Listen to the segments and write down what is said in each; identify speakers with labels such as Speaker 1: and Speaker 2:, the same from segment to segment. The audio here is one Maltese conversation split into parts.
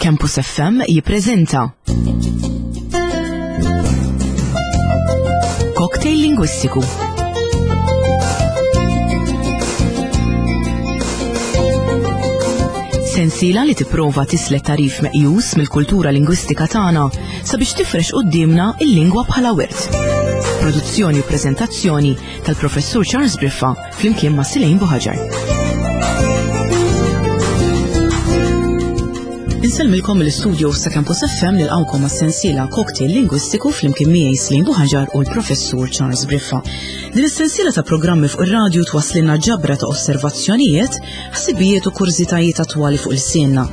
Speaker 1: Campus FM jippreżenta Cocktail Lingwistiku. Sensiela li tipprova tislet tarif meqjus mill-kultura lingwistika tagħna sabiex tifrex quddiemna il-lingwa bħala wirt. Produzzjoni u preżentazzjoni tal-Professur Charles Briffa flimkien ma' Silejn Buħaġar. Insellmilkom mill-istudio sa' Campus FM nilqawkom għas-sensiela Cocktail Lingwistiku flimkien miegħi Slin Buħaġar u l-Professur Charles Briffa. Din is-sensiela ta' programmi fuq ir-radju twasslilna ġabra ta' osservazzjonijiet, ħsibijiet u kurżitajiet attwali fuq il-sienna.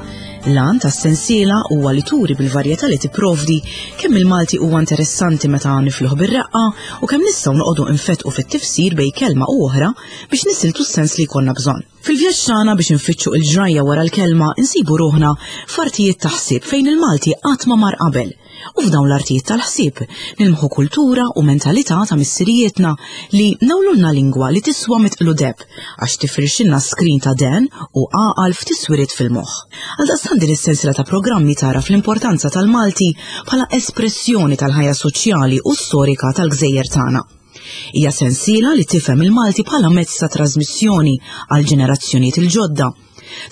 Speaker 1: L-għan tas-sensiela huwa li turi bil-varjetà li tipprovdi kemm il-Malti huwa interessanti meta nifluh bir-reqqa u kemm nistgħu noqogħdu nfettqu fit-tifsir bejn kelma u oħra biex nisiltu s-sens li jkollna bżonn. Fil-vjaġġ tagħna biex infittxu il-ġrajja wara l-kelma insibu ruħna f'artijiet ta' ħsieb fejn il-Malti qatt ma mar qabel. U f'dawn l-artijiet tal-ħsieb nilmħu kultura u mentalità ta' missirijietna li nawlulna lingwa li tiswa mitqlu deb għax tifrixilna skrin ta' den u għaqal f'tiswiriet fil-moħħ. Għaldaqstant din is-sensiela ta' programmi tagħraf l-importanza tal-Malti bħala espressjoni tal-ħajja soċjali u storika tal-gżejjer tagħna. Hija sensiela li tifhem il-Malti bħala mezz ta' trasmissjoni għal ġenerazzjonijiet il-ġodda,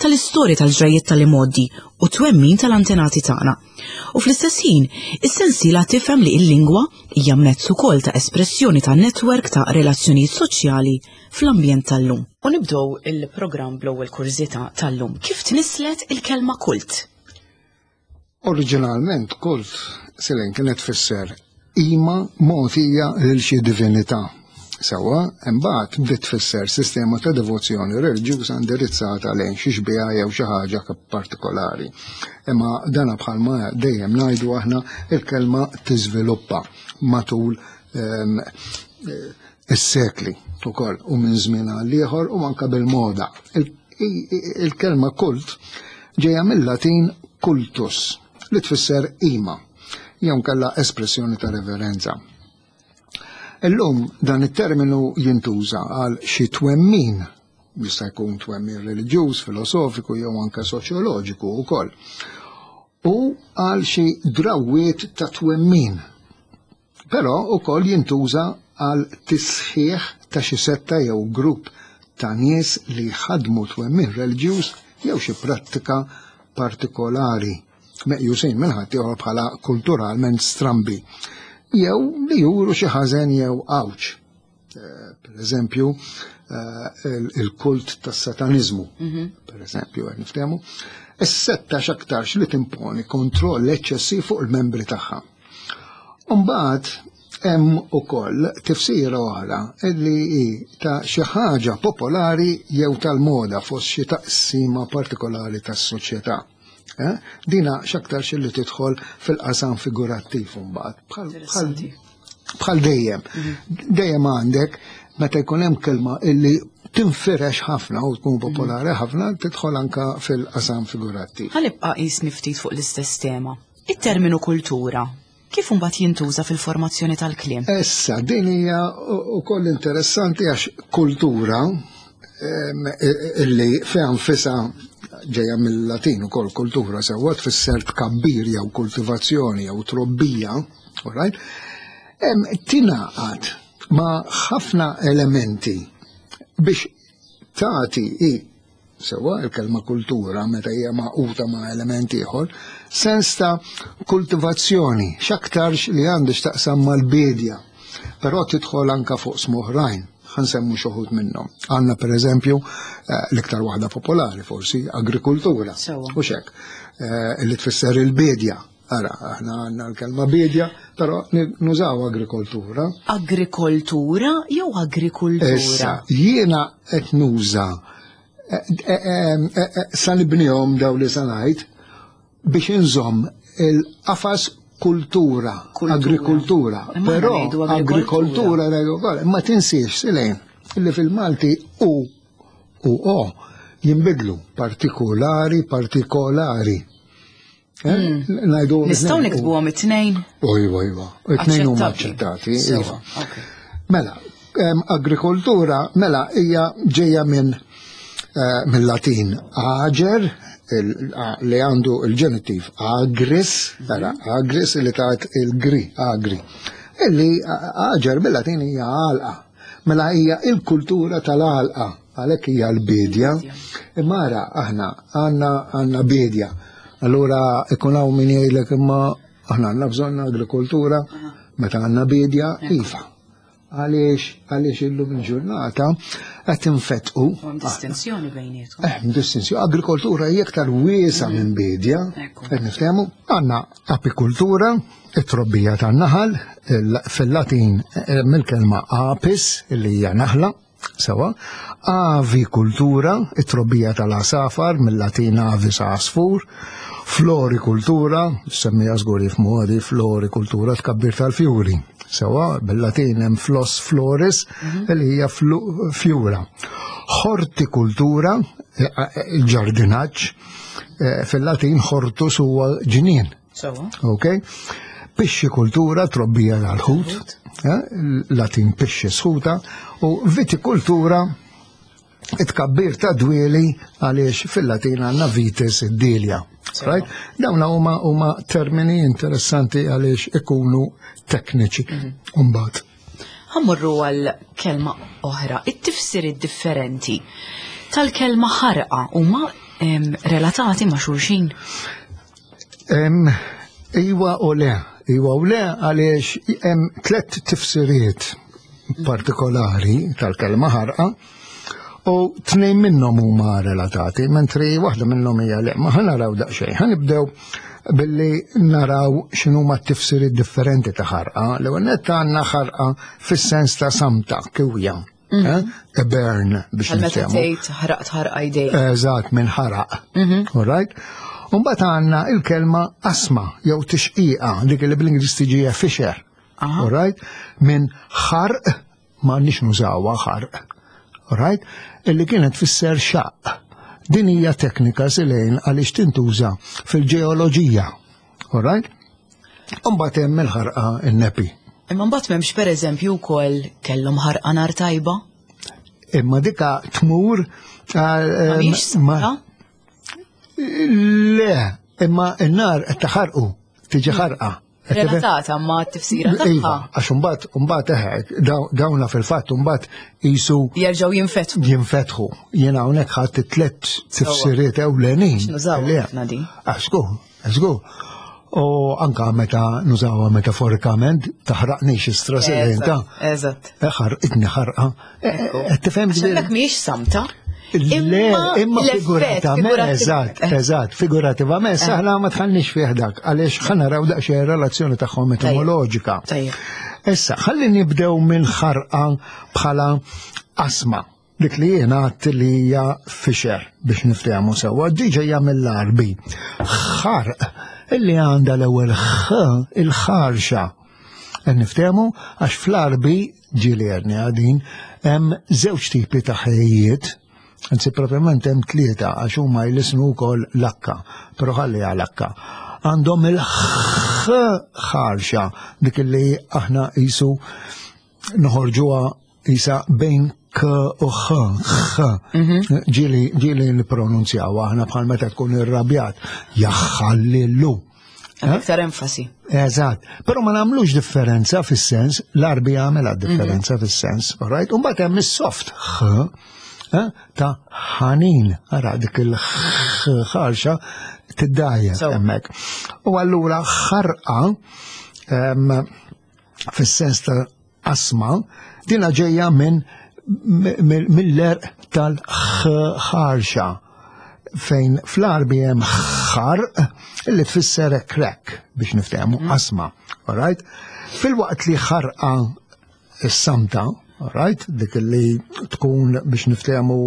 Speaker 1: tal-istorja tal-ġrajjiet tal-imgħoddi u twemmin tal-antenati tagħna. U fl-istess ħin, is-sensiela tifhem li l-lingwa hija mezz ukoll ta' espressjoni ta' netwerk ta' relazzjonijiet soċjali fl-ambjent tal-lum. U nibdew il-programm bl-ewwel kurżità tal-lum. Kif tnisslet il-kelma kult?
Speaker 2: Oriġinalment kult silen kienet tfisser qima mogħtija lil xi divinità. Sewwa, imbagħad bdiet tfisser sistema ta' devozzjoni reliġjuża indirizzata lejn xi xbieha jew xi ħaġa partikolari. Imma dana bħalma dejjem ngħidu aħna il-kelma tiżviluppa matul ehm, is-sekli ukoll u minn żmien għal ieħor u anke bil-moda. Il-kelma kult ġejja mill-Latin cultus li tfisser qima jew kellha espressjoni ta' reverenza. Illum dan it-terminu jintuża għal xi twemmin, jista' jkun twemmin reliġjuż, filosofiku jew anke soċjoloġiku wkoll, u għal xi drawwiet ta' twemmin. Però wkoll jintuża għal tisħiħ ta' xi setta jew grupp ta' nies li jħaddmu twemmin reliġjuż jew xi prattika partikolari. meqjusin minn ħaddieħor bħala kulturalment strambi, jew li juru xi ħażen jew għawġ. Eh, per eżempju, eh, il-kult tas-sataniżmu, mhm. per eżempju, qed niftehmu, is-setta x'aktarx li timponi kontroll eċċessiv fuq il-membri tagħha. Umbagħad hemm ukoll tifsira oħra li hi ta' xi ħaġa popolari jew tal-moda fost xi taqsima partikolari tas-soċjetà. Eh? Dina x'aktarx li tidħol fil-qasam figurattiv mbagħad. Bħal dejjem. Mhm. Dejjem għandek meta jkun hemm kelma illi tinfirex ħafna u tkun mhm. popolari ħafna tidħol anka fil-qasam figurattiv.
Speaker 1: Ħanibqa' qisni ftit fuq l-istess tema. It-terminu kultura kif imbagħad jintuża fil-formazzjoni tal-kliem?
Speaker 2: Issa, din hija wkoll interessanti għax kultura illi fiha nfisha ġejja mill-Latin ukoll kultura sewwa tfisser tkabbir jew kultivazzjoni jew trobbija, all right? Tingħaqad ma' ħafna elementi biex tagħti Sewwa, il-kelma kultura meta hija magħquda ma' element ieħor, sens ta' kultivazzjoni, x'aktarx li għandu x'taqsam mal-biedja, però tidħol anka fuq smoħrajn, ħansemmu xi wħud minnhom. Għandna pereżempju eh, l-iktar waħda popolari forsi agrikultura. U xek, eh, li tfisser il-biedja. Ara, aħna għandna l-kelma biedja, però nużaw agrikoltura.
Speaker 1: Agrikoltura jew agrikultura?
Speaker 2: Issa, jiena qed nuża eh, eh, eh, sa nibnihom daw li sa ngħid biex inżomm il-qafas kultura, agrikultura. Però agrikoltura, ma tinsiex silejn li fil-Malti u u o jinbidlu partikolari, partikolari.
Speaker 1: Eh? Hmm. Najdu. Nistgħu niktbuhom it-tnejn?
Speaker 2: Iva, iva. It-tnejn huma aċċettati. Iva. Mela, agrikoltura, mela hija ġejja minn eh, mill-Latin ager, li għandu il-ġenittiv agris, tara, agris li tat il-gri, agri. Illi aġer bil-Latin hija għalqa. Mela hija il-kultura tal-għalqa, għalhekk hija l-bidja. Imma ara aħna għandna għandna bidja. Allura ikun hawn min jgħidlek imma aħna għandna bżonn agrikoltura meta għandna bidja, iva. Għaliex, għaliex illum il-ġurnata qed infetqu.
Speaker 1: Hemm distinzjoni bejniethom.
Speaker 2: Hemm eh, distinzjoni. Agrikoltura hija iktar wiesa minn bidja. Qed niftehmu. Għandna apikultura, it-trobbija tan-naħal, fil-Latin eh, mill-kelma apis, li hija naħla, sewa, avikultura, it-trobbija tal-asafar, mill-Latin avis għasfur, florikultura, semmija żgur jifhmu għadi, florikultura tkabbir tal-fjuri. Sewa, bil-Latin hemm flos floris, li hija fjura. Hortikultura, eh, eh, il-ġardinaġġ, eh, fil-Latin hortus huwa ġnien.
Speaker 1: Sewa.
Speaker 2: Ok? Pixxikultura, trobbija tal-ħut, Latin pixxi sħuta, u vitikultura, it-tkabbir ta' dwieli għaliex fil-Latin għandna vitis id-dilja. Right? Dawn huma huma termini interessanti għaliex ikunu tekniċi. Mbagħad.
Speaker 1: Ħa mmorru għal kelma oħra, it-tifsiriet differenti tal-kelma ħarqa huma relatati ma' xulxin?
Speaker 2: Iwa u le, iwa u le għaliex hemm tlett tifsiriet partikolari tal-kelma ħarqa u tnejn minnhom huma relatati, mentri waħda minnhom hija le. Ma ħa naraw daqsxejn, ħa nibdew billi naraw x'inhuma t-tifsiriet differenti ta' ħarqa. L-ewwel nett għandna ħarqa fis-sens ta' samta, kiwja. Eh? A burn biex
Speaker 1: Għal meta
Speaker 2: niftehmu.
Speaker 1: tgħid ħraqt ħarqa jdejk.
Speaker 2: Eżatt, minn ħaraq. All right? Umbagħad għandna il-kelma asma jew tixqiqa, dik li bl-Ingliż tiġi fissure. All right? Minn ħarq ma nix nużawha ħarq. All right? Illi kienet tfisser xaq. Din hija teknika silejn għaliex tintuża fil-ġeoloġija. All right? Umbagħad hemm il-ħarqa in-nepi.
Speaker 1: Imma mbagħad m'hemmx pereżempju wkoll kellhom ħarqa nar tajba.
Speaker 2: Imma dika tmur
Speaker 1: Ma mhix
Speaker 2: ma-
Speaker 1: samta?
Speaker 2: Le, imma n-nar qed taħarqu, tiġi ħarqa. Qed tifhem?
Speaker 1: Relatata ma' t-tifsira
Speaker 2: Iva,
Speaker 1: tagħha.
Speaker 2: għax imbagħad imbagħad eħe, dawna fil-fatt imbagħad qisu
Speaker 1: Jerġgħu jinfetħu.
Speaker 2: jinfetħu. Jiena hawnhekk ħadd it-tliet tifsiriet ewlenin.
Speaker 1: Nużaw
Speaker 2: Li-
Speaker 1: ħafna din.
Speaker 2: Għax żgur, żgur. U anka meta nużawha metaforikament, taħraqnix istra ta'
Speaker 1: Eżatt.
Speaker 2: ħarqitni ħarqa. Qed tifhem
Speaker 1: Għax
Speaker 2: ġifieri?
Speaker 1: hemmhekk mhijiex samta.
Speaker 2: Le, imma
Speaker 1: l-effett
Speaker 2: figurativament,
Speaker 1: figurattiv-
Speaker 2: eżatt, eżatt, figurativament, saħna ma tħallniex fih dak, għaliex ħa naraw daqsxejn relazzjoni tagħhom etimoloġika.
Speaker 1: Tajjeb.
Speaker 2: Issa, ħalli nibdew minn ħarqa bħala asma, dik li jiena għadt li hija fissure biex niftehmu sewwa, di ġejja mill-Arbi. Ħarq illi għandha l-ewwel ħ il-ħarxa. Qed niftehmu għax fl-Arbi ġieli għedni għadin hemm żewġ tipi ta' ħejjiet, anzi proprjament hemm tlieta għax huma jlisnu wkoll l-akka, però ħalli għal akka. Għandhom il-ħ ħarxa dik li aħna qisu noħorġuha isa bejn k u ħ, ħ. Ġieli ġieli nippronunzjaw aħna bħal meta tkun irrabjat, jaħħallilu.
Speaker 1: Hemm Iktar enfasi.
Speaker 2: Eżatt, però ma nagħmlux differenza fis-sens, l-Arbi għamela differenza fis-sens, all right? Umbagħad hemm is-soft ħ eh, ta' ħanin, ara dik il-ħarxa tiddajja
Speaker 1: So.
Speaker 2: hemmhekk. U allura ħarqa fis-sens ta' asma, dina ġejja minn mill-għerq tal-ħarxa fejn fl-Arbi hemm ħarq li tfisser crack biex niftehmu asma, all right? Fil-waqt li ħarqa s-samta, all right, dik li tkun biex niftehmu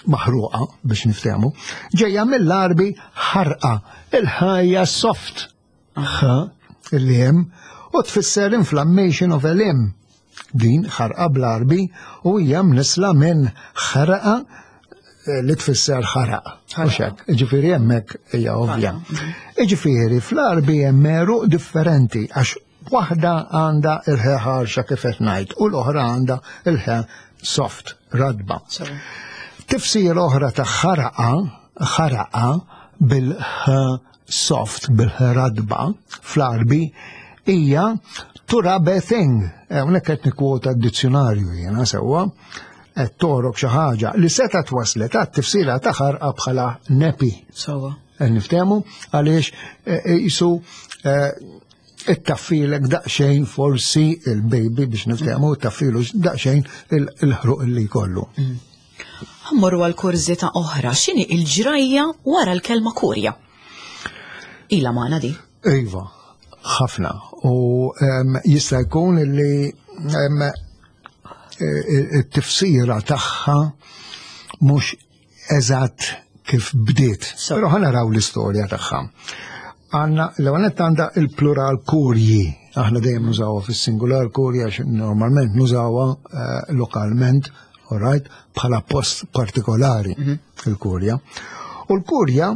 Speaker 2: maħruqa biex niftehmu, ġejja mill-Arbi ħarqa, il-ħajja soft, ħ, illi hemm, u tfisser inflammation of a limb. Din ħarqa bl-Arbi u hija mnisla minn ħarqa li tfisser ħaraq. Mhux hekk, ġifieri hemmhekk hija ovvja. Ġifieri fl-Arbi hemm għeruq differenti għax waħda għandha il-ħe ħarxa kif qed ngħid u l-oħra għandha il-ħe soft, radba. Tifsir oħra ta' ħaraqa ħaraqa bil-ħ soft, bil-ħ radba fl-Arbi hija to rub a thing. Hawnhekk qed nikkwota d-dizzjunarju jiena sewwa qed torok xi ħaġa li seta' twaslet għat-tifsira ta' ħarqa bħala nepi.
Speaker 1: Sewwa.
Speaker 2: Qed niftehmu għaliex qisu ittaffilek daqsxejn forsi il-baby biex niftehmu ittaffilu daqsxejn il-ħruq li jkollu.
Speaker 1: Ħammorru għal kurżità oħra, x'inhi il-ġrajja wara l-kelma kurja? Ila magħna di.
Speaker 2: Iva, ħafna. U jista' jkun li it-tifsira tagħha mhux eżatt kif bdiet. Però ħa naraw l-istorja tagħha. Għanna, l-għanet għandha il-plural kurji. Aħna dejjem nużawha fis-singular kurja, normalment nużawha lokalment, all right, bħala post partikolari il-kurja. U l-kurja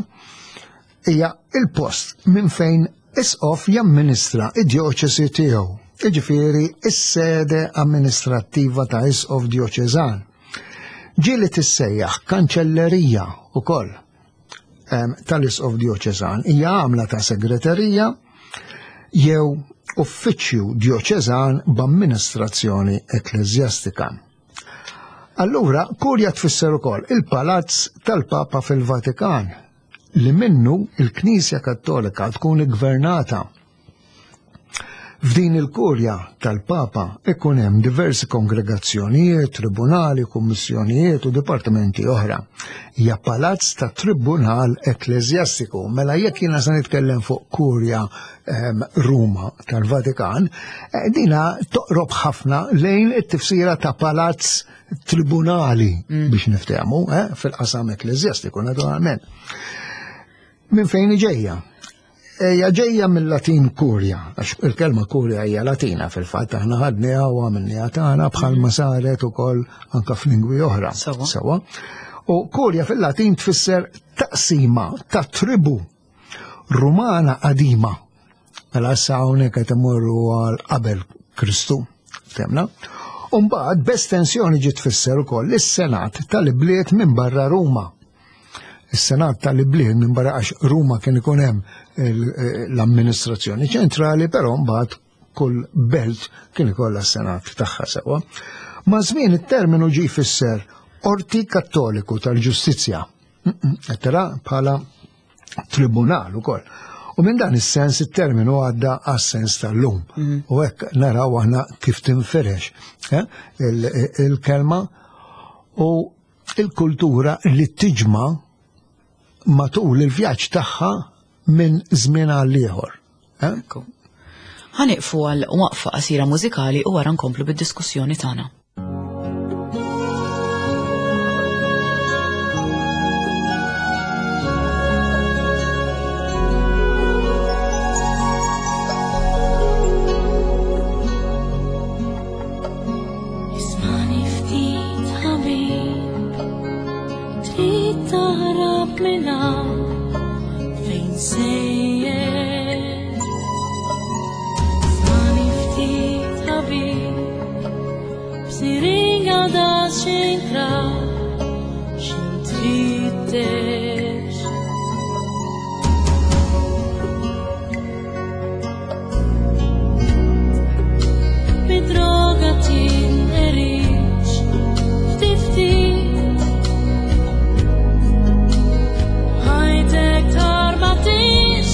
Speaker 2: hija il-post minn fejn isqof jamministra id-djoċesi tiegħu, jiġifieri is-sede amministrattiva ta' isqof djoċeżan. Ġieli tissejjaħ kanċellerija ukoll tal-isqof djoċeżan, hija għamla ta' segreterija jew uffiċċju djoċeżan b'amministrazzjoni ekkleżjastika. Allura, kurja tfisser ukoll il-palazz tal-Papa fil-Vatikan, li minnu il-Knisja Kattolika tkun iggvernata. F'din il-kurja tal-Papa ikun hemm diversi kongregazzjonijiet, tribunali, kummissjonijiet u dipartimenti oħra. Hija palazz ta' tribunal ekkleżjastiku. Mela jekk jiena se nitkellem fuq kurja Ruma tal-Vatikan, dina toqrob ħafna lejn it-tifsira ta' palazz tribunali biex niftehmu, fil-qasam ekkleżjastiku naturalment. Minn fejn ġejja? Hija ġejja mill-Latin kurja, għax il-kelma kurja hija Latina fil-fatt, aħna ħadniha u għamilniha tagħna bħalma saret ukoll anke f'lingwi oħra. Sewwa. U kurja fil-Latin tfisser taqsima ta' tribu Rumana qadima. Mela issa hawnhekk qed imorru għal qabel Kristu, temna. U mbagħad b'estensjoni ġiet tfisser ukoll is-Senat tal-ibliet minn barra Ruma. Is-Senat tal-ibliet minn barra għax Ruma kien ikun hemm l-amministrazzjoni ċentrali, però mbagħad kull belt kien ikollha s-Senat tagħha sewwa. Ma' żmien it-terminu ġie jfisser Qorti Kattoliku tal-Ġustizzja. Qed tara bħala tribunal ukoll. U minn dan is-sens it-terminu għadda għas-sens tal-lum. U hekk naraw aħna kif tinfirex il-kelma u il-kultura li tiġma matul il-vjaġġ tagħha minn żmien għal ieħor.
Speaker 1: Ekku. Ħaniqfu għal waqfa qasira mużikali u wara nkomplu bid-diskussjoni tagħna.
Speaker 3: Ismani ftit ħabib, trid taħrab minn hawn fejn sejjer. Ismani ftit ħabib, b'siringa da xintra, xin tfittex. Bid-droga tinqerix, ftit ftit. Ħajtek tarba tix.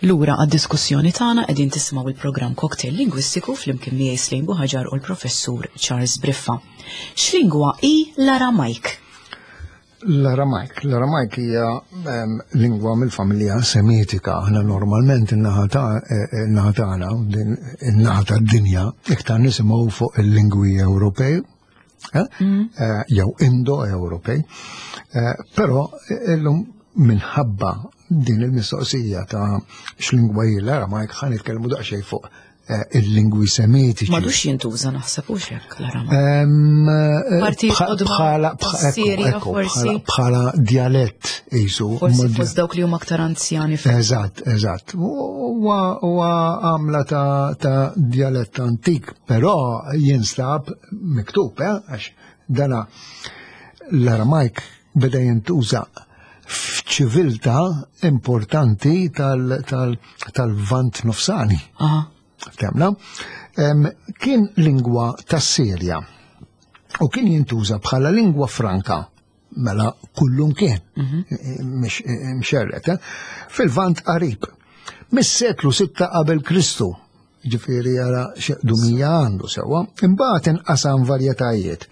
Speaker 1: Lura għad-diskussjoni tagħna qegħdin tisimgħu il-programm Cocktail Lingwistiku flimkien miegħi Slejn Buħaġar u l-Professur Charles Briffa. X'lingwa hi l-Aramajk?
Speaker 2: L-Aramajk. L-Aramajk hija ehm, lingwa mill-familja Semitika. Aħna normalment in-naħa eh, eh, tagħna, in-naħa tad-dinja, iktar nisimgħu fuq il-lingwi Ewropej eh, mm. jew Indo-Ewropej. Però illum minħabba din il-mistoqsija ta' x'lingwa hi l-Aramajk ħa nitkellmu daqsxejn fuq Eh, il-lingwi semitiċi.
Speaker 1: Madux jintuża naħseb u xek l-Aramajk.
Speaker 2: Bħala bħala dialett jisu.
Speaker 1: Forsi fost dawk li huma aktar anzjani.
Speaker 2: Eżatt, eżatt. Huwa għamla ta' dialett antik, però jinstab miktub, eh, għax dana l-Aramajk beda jintuża f'ċiviltà importanti tal-Lvant Nofsani. Temna? Kien lingwa tas-Sirja u kien jintuża bħala lingwa franka mela kullum kien mhm. mxerret eh? fil-Lvant qarib. Mis-seklu 6 qabel Kristu Ġifieri ara x'qdumija għandu sewwa. Imbagħad inqasam varjetajiet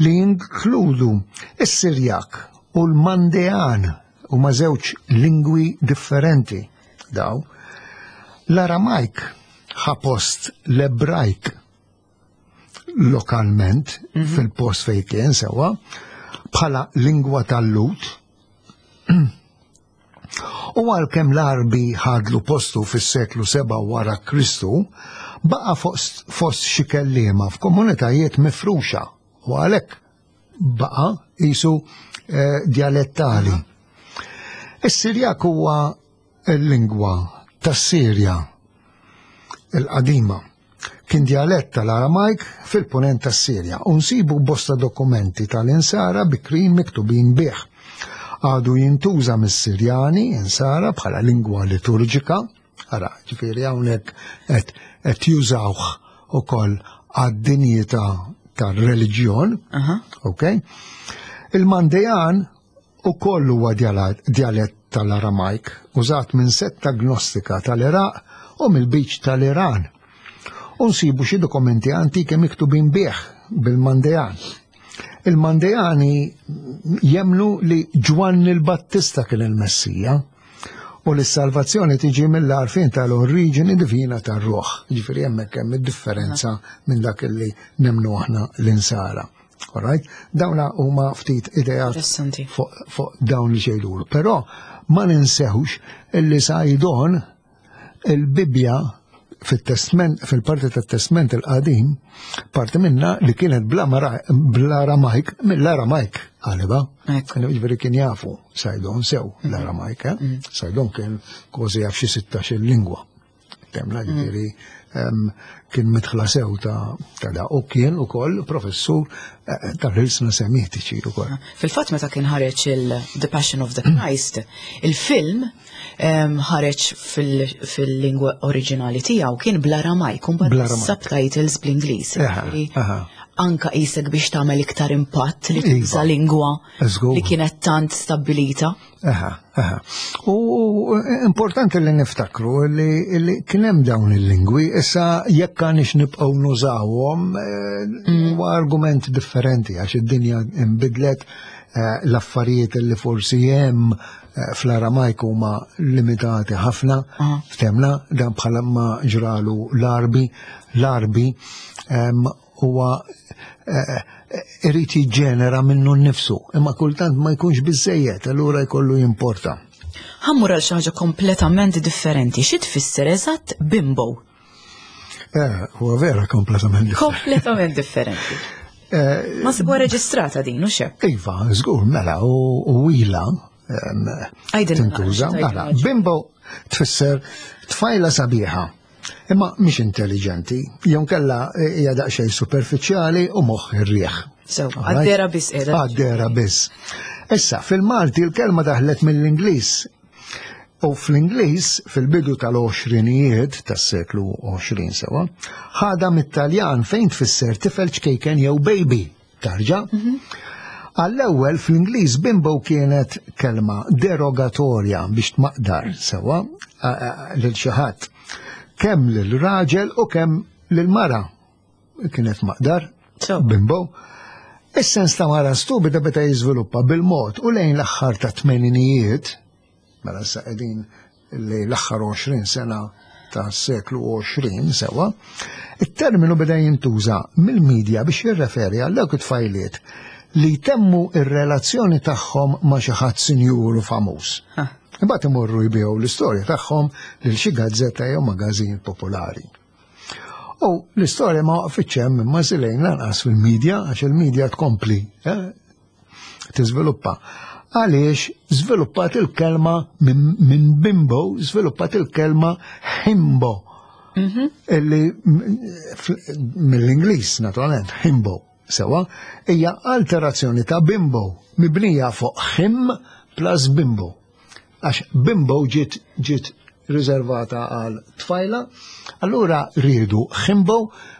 Speaker 2: li jinkludu s-Sirjak u l-Mandean huma żewġ lingwi differenti daw. L-Aramajk ħa post l-Ebrajk lokalment mhm. fil-post fejn kien sewwa bħala lingwa tal-Lut. U għalkemm l-Għarbi ħadlu postu fis-seklu 7 wara Kristu, baqa' fost xi kelliema f'komunitajiet mifruxa u għalhekk baqa' qisu eh, djalettali. Is-Sirjak huwa l-lingwa tas-Sirja il-qadima. Kien djalett tal-Aramajk fil-punent tas-Sirja u nsibu bosta dokumenti tal-Insara bikrin miktubin bih. Għadu jintuża mis-Sirjani Insara bħala lingwa liturġika, ara, ġifieri hawnhekk qed jużawh ukoll għad-dinjità tar-reliġjon, ok? Il-Mandejan ukoll huwa djalett tal-Aramajk użat minn setta gnostika tal-Iraq u mill-Lbiċ tal-Iran. U nsibu xi dokumenti antiki miktubin bih bil-Mandejan. Il-Mandejani jemmnu li Ġwanni l-Battista kien il-Messija u li s-salvazzjoni tiġi mill-għarfien tal-oriġini divina tar-ruħ. Ġifieri hemmhekk hemm id-differenza minn dak li nemmnu aħna l-insara. Alright? Dawna huma ftit ideat fuq dawn li ġejdulu. Però ma ninsewx illi Sajdon il-Bibbja fit-testment, fil-parti tat-testment il-qadim, parti minna li kienet bl-Aramajk, mill-Aramajk għaliba. Ġifieri kien jafu Sajdon sew mhm. l-Aramajk, eh? Mhm. Sajdon kien kważi jaf xi 16 lingwa. Temla mm. ġifieri kien mitħla sew ta' da u kien ukoll professur eh, tal-ħilsna semitiċi ukoll. Ah,
Speaker 1: fil-fatt meta kien ħareġ il-The Passion of the Christ, il-film ħareġ fil-lingwa oriġinali tiegħu kien bl-Aramajk, u subtitles bl-Ingliż. Anka qisek biex tagħmel iktar impatt li tuża iva. lingwa li kienet tant stabbilita.
Speaker 2: Aha, aha. U importanti li niftakru li kien hemm dawn il-lingwi, issa jekk għandix nibqgħu nużawhom eh, mm. huwa argument differenti għax id-dinja nbidlet eh, l-affarijiet li forsi hemm eh, fl-Aramajk huma limitati ħafna, ftemna dan bħala ma ġralu l-Arbi, l-Arbi huwa eh, eh, irid jiġġenera minnu nnifsu, imma kultant ma jkunx biżejjed, allura jkollu jimporta.
Speaker 1: Ħammur għal xi ħaġa kompletament differenti. Xi tfisser eżatt bimbo?
Speaker 2: Eh, huwa vera kompletament
Speaker 1: differenti. Kompletament differenti. Eh, ma sibu reġistrata din, u xek?
Speaker 2: Iva, żgur, mela, u ila tintuża. Mela, bimbo tfisser tfajla sabiħa Imma mhix intelligenti, jew kella hija daqsxejn superfiċjali u moħħ ir-riħ.
Speaker 1: So, għaddera biss
Speaker 2: qiegħda. Għaddera biss. Issa, fil-Malti l-kelma daħlet mill-Ingliż. U fl-Ingliż, fil-bidu tal-20ijiet tas-seklu 20 sewa, ħada mit-Taljan fejn tfisser tifel ċkejken jew baby, tarġa. Mhm. Għall-ewwel fl-Ingliż bimbo kienet kelma derogatorja biex tmaqdar sewwa lil xi ħadd. Kemm lil raġel u kemm lil mara kienet maqdar bimbo. Is-sens ta' mara stupida beta jiżviluppa bil-mod u lejn l-aħħar ta' tmeninijiet, mela issa qegħdin li l-aħħar 20 sena ta' seklu 20 sewa, it-terminu beda jintuża mill-medja biex jirreferi għal dawk it-tfajliet li jtemmu ir-relazzjoni tagħhom ma' xi ħadd sinjur u famuż. Imbagħad imorru jbigħu l-istorja tagħhom lil xi gazzetta jew magażin popolari. U l-istorja ma waqfitx hemm imma żilejn lanqas fil-medja għax il-medja tkompli eh, tiżviluppa. Għaliex żviluppat il-kelma minn bimbo, żviluppat il-kelma himbo. Mhm. Illi mill-Ingliż naturalment himbo sewa hija alterazzjoni ta' bimbo mibnija fuq him plus bimbo. Għax bimbo ġiet ġiet riservata għal tfajla, allura riedu himbo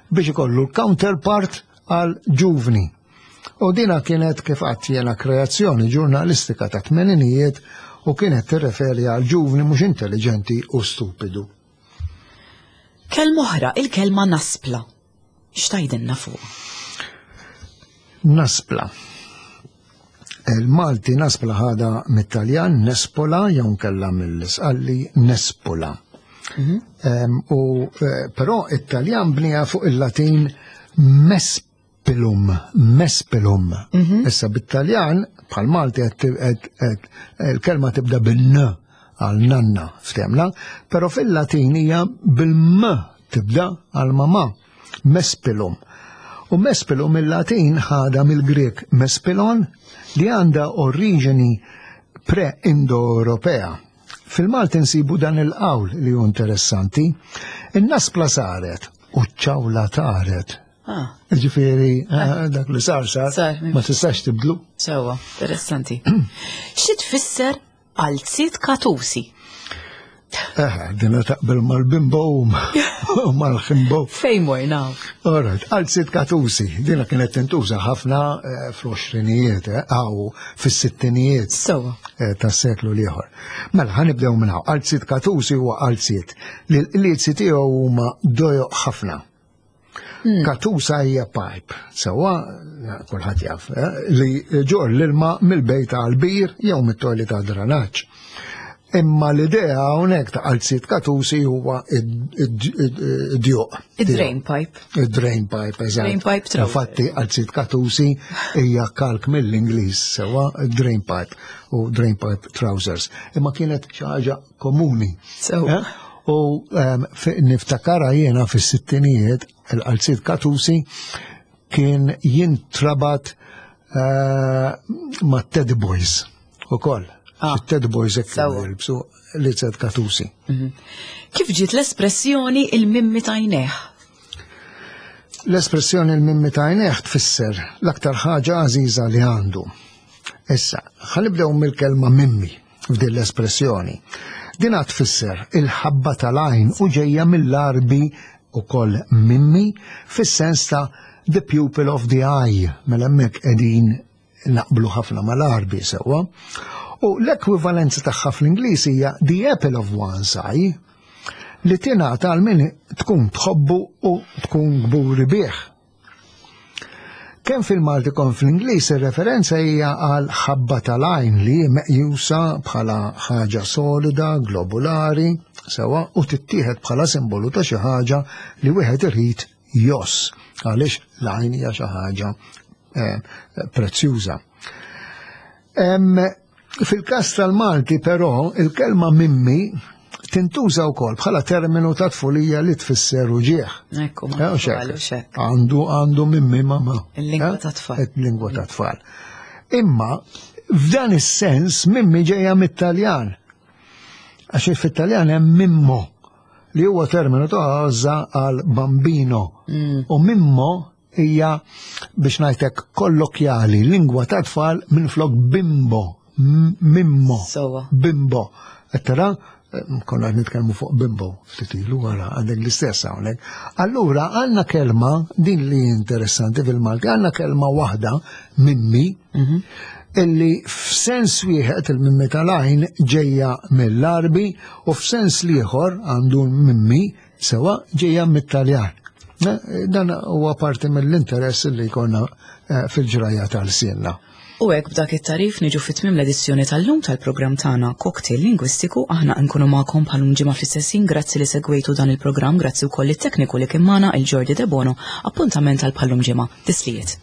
Speaker 2: biex ikollu l-counterpart għal ġuvni. U dina kienet kif għadt jena kreazzjoni ġurnalistika ta' tmeninijiet u kienet tirreferi għal ġuvni mhux intelligenti u stupidu.
Speaker 1: Kelma oħra, il-kelma naspla. X'tajdilna fuq?
Speaker 2: Naspla. Il-Malti naspla ħada mit-Taljan nespola jew kella mill-Isqalli nespola. Mhm. U eh, però it-Taljan bnija fuq il-Latin mesp Mespilum, mespilum. Mhm. Issa bit-Taljan, bħal Malti il-kelma tibda bin-n għal nanna ftemna, però fil-Latin hija bil-m tibda għal mama, mespilum. U mespilum il-Latin ħada mill-Grek mespilon li għandha oriġini pre-Indo-Ewropea. Fil-Malti nsibu dan il-qawl li hu interessanti, in-naspla saret u ċ-ċawla taret. Ah. Ġifieri, eh, dak li sar sar, ma tistax tibdlu.
Speaker 1: Sewa, interessanti. Xi tfisser qalziet katusi?
Speaker 2: Eh, dina taqbel mal-bimbo u mal-ħimbo.
Speaker 1: Fejn morna?
Speaker 2: Alright, qalziet katusi, dina kienet tintuża ħafna eh, fl-20ijiet, għaw fis-sittinijiet tas-seklu l-ieħor. Mela, ħanibdew minn hawn. Qalziet katusi huwa qalziet li l-qliezi tiegħu huma dojoq ħafna. Hmm. Katusa hija pipe, sewwa kulħadd jaf, eh, li ġor l-ilma mill-bejt għal bir jew mit-toilet ta' dranaġġ. Imma l-idea hawnhekk ta' qalziet katusi huwa id-djuq.
Speaker 1: Id-drain pipe.
Speaker 2: Id-drain pipe, eżatt.
Speaker 1: Drain pipe trouser.
Speaker 2: Infatti qalziet katusi hija kalk mill-Ingliż sewwa drain pipe u drain pipe trousers. Imma kienet xi ħaġa komuni.
Speaker 1: Sewwa.
Speaker 2: Eh? U ehm, niftakara jiena fis-sittinijiet il-qalziet katusi kien jintrabat eh, ma' Ted Boys ukoll. Ah. Ted Boys hekk jilbsu li Ted Katusi.
Speaker 1: Mhm. Kif ġiet l-espressjoni il-mimmi tajneħ?
Speaker 2: L-espressjoni il-mimmi tajneħ tfisser l-aktar ħaġa għażiża li għandu. Issa, ħanibdew mill-kelma mimmi. f'din l-espressjoni. Din tfisser il-ħabba tal-għajn u ġejja mill-Għarbi ukoll mimmi fis-sens ta' the pupil of the eye, mela hemmhekk qegħdin naqblu ħafna mal-Għarbi sewwa. U l-ekwivalenza tagħha fl-Ingliż hija the apple of one's eye li tingħata għal min tkun tħobbu u tkun kburi bih. Kemm fil-Malti kemm fl-Ingliż ir-referenza hija għal ħabba tal-għajn li hi meqjusa bħala ħaġa solida, globulari, sewwa u tittieħed bħala simbolu ta' xi ħaġa li wieħed irid joss għaliex l-għajn hija xi ħaġa eh, prezzjuża. Fil-każ tal-Malti però, il-kelma mimmi tintuża wkoll bħala terminu ta' tfulija li tfisser uġieħ.
Speaker 1: Ekku, ma eh,
Speaker 2: Għandu għandu mimmi mama.
Speaker 1: Il-lingwa eh? ta' tfal.
Speaker 2: Il-lingwa ta' tfal. Imma f'dan is-sens mimmi ġejja mit-Taljan. Għax fit-Taljan hemm mimmo li huwa terminu ta' għaża għal bambino. Mm. U mimmo hija biex ngħidlek kollokjali, lingwa ta' tfal minflok bimbo. Mimmo. Bimbo. Qed tara? Konna qed nitkellmu fuq bimbo ftit ilu wara għandek l-istess hawnhekk. Allura għandna kelma din li interessanti fil-Malti, għandna kelma waħda mimmi mhm. illi f'sens wieħed il-mimmi tal-għajn ġejja mill-Arbi u f'sens l-ieħor għandu mimmi sewa ġejja mit-Taljan. Eh, dan huwa parti mill-interess li jkollna eh, fil-ġrajja tal-sienna.
Speaker 1: U hekk b'dak it-tagħrif niġu fi tmiem l-edizzjoni tal-lum tal-programm tagħna Cocktail Lingwistiku aħna nkunu magħkom bħalum ġimgħa fl-istess ħin grazzi li segwejtu dan il-programm grazzi wkoll it-tekniku li kien magħna il-Jordi Debono appuntament għal bħallum ġimgħa. Tislijiet.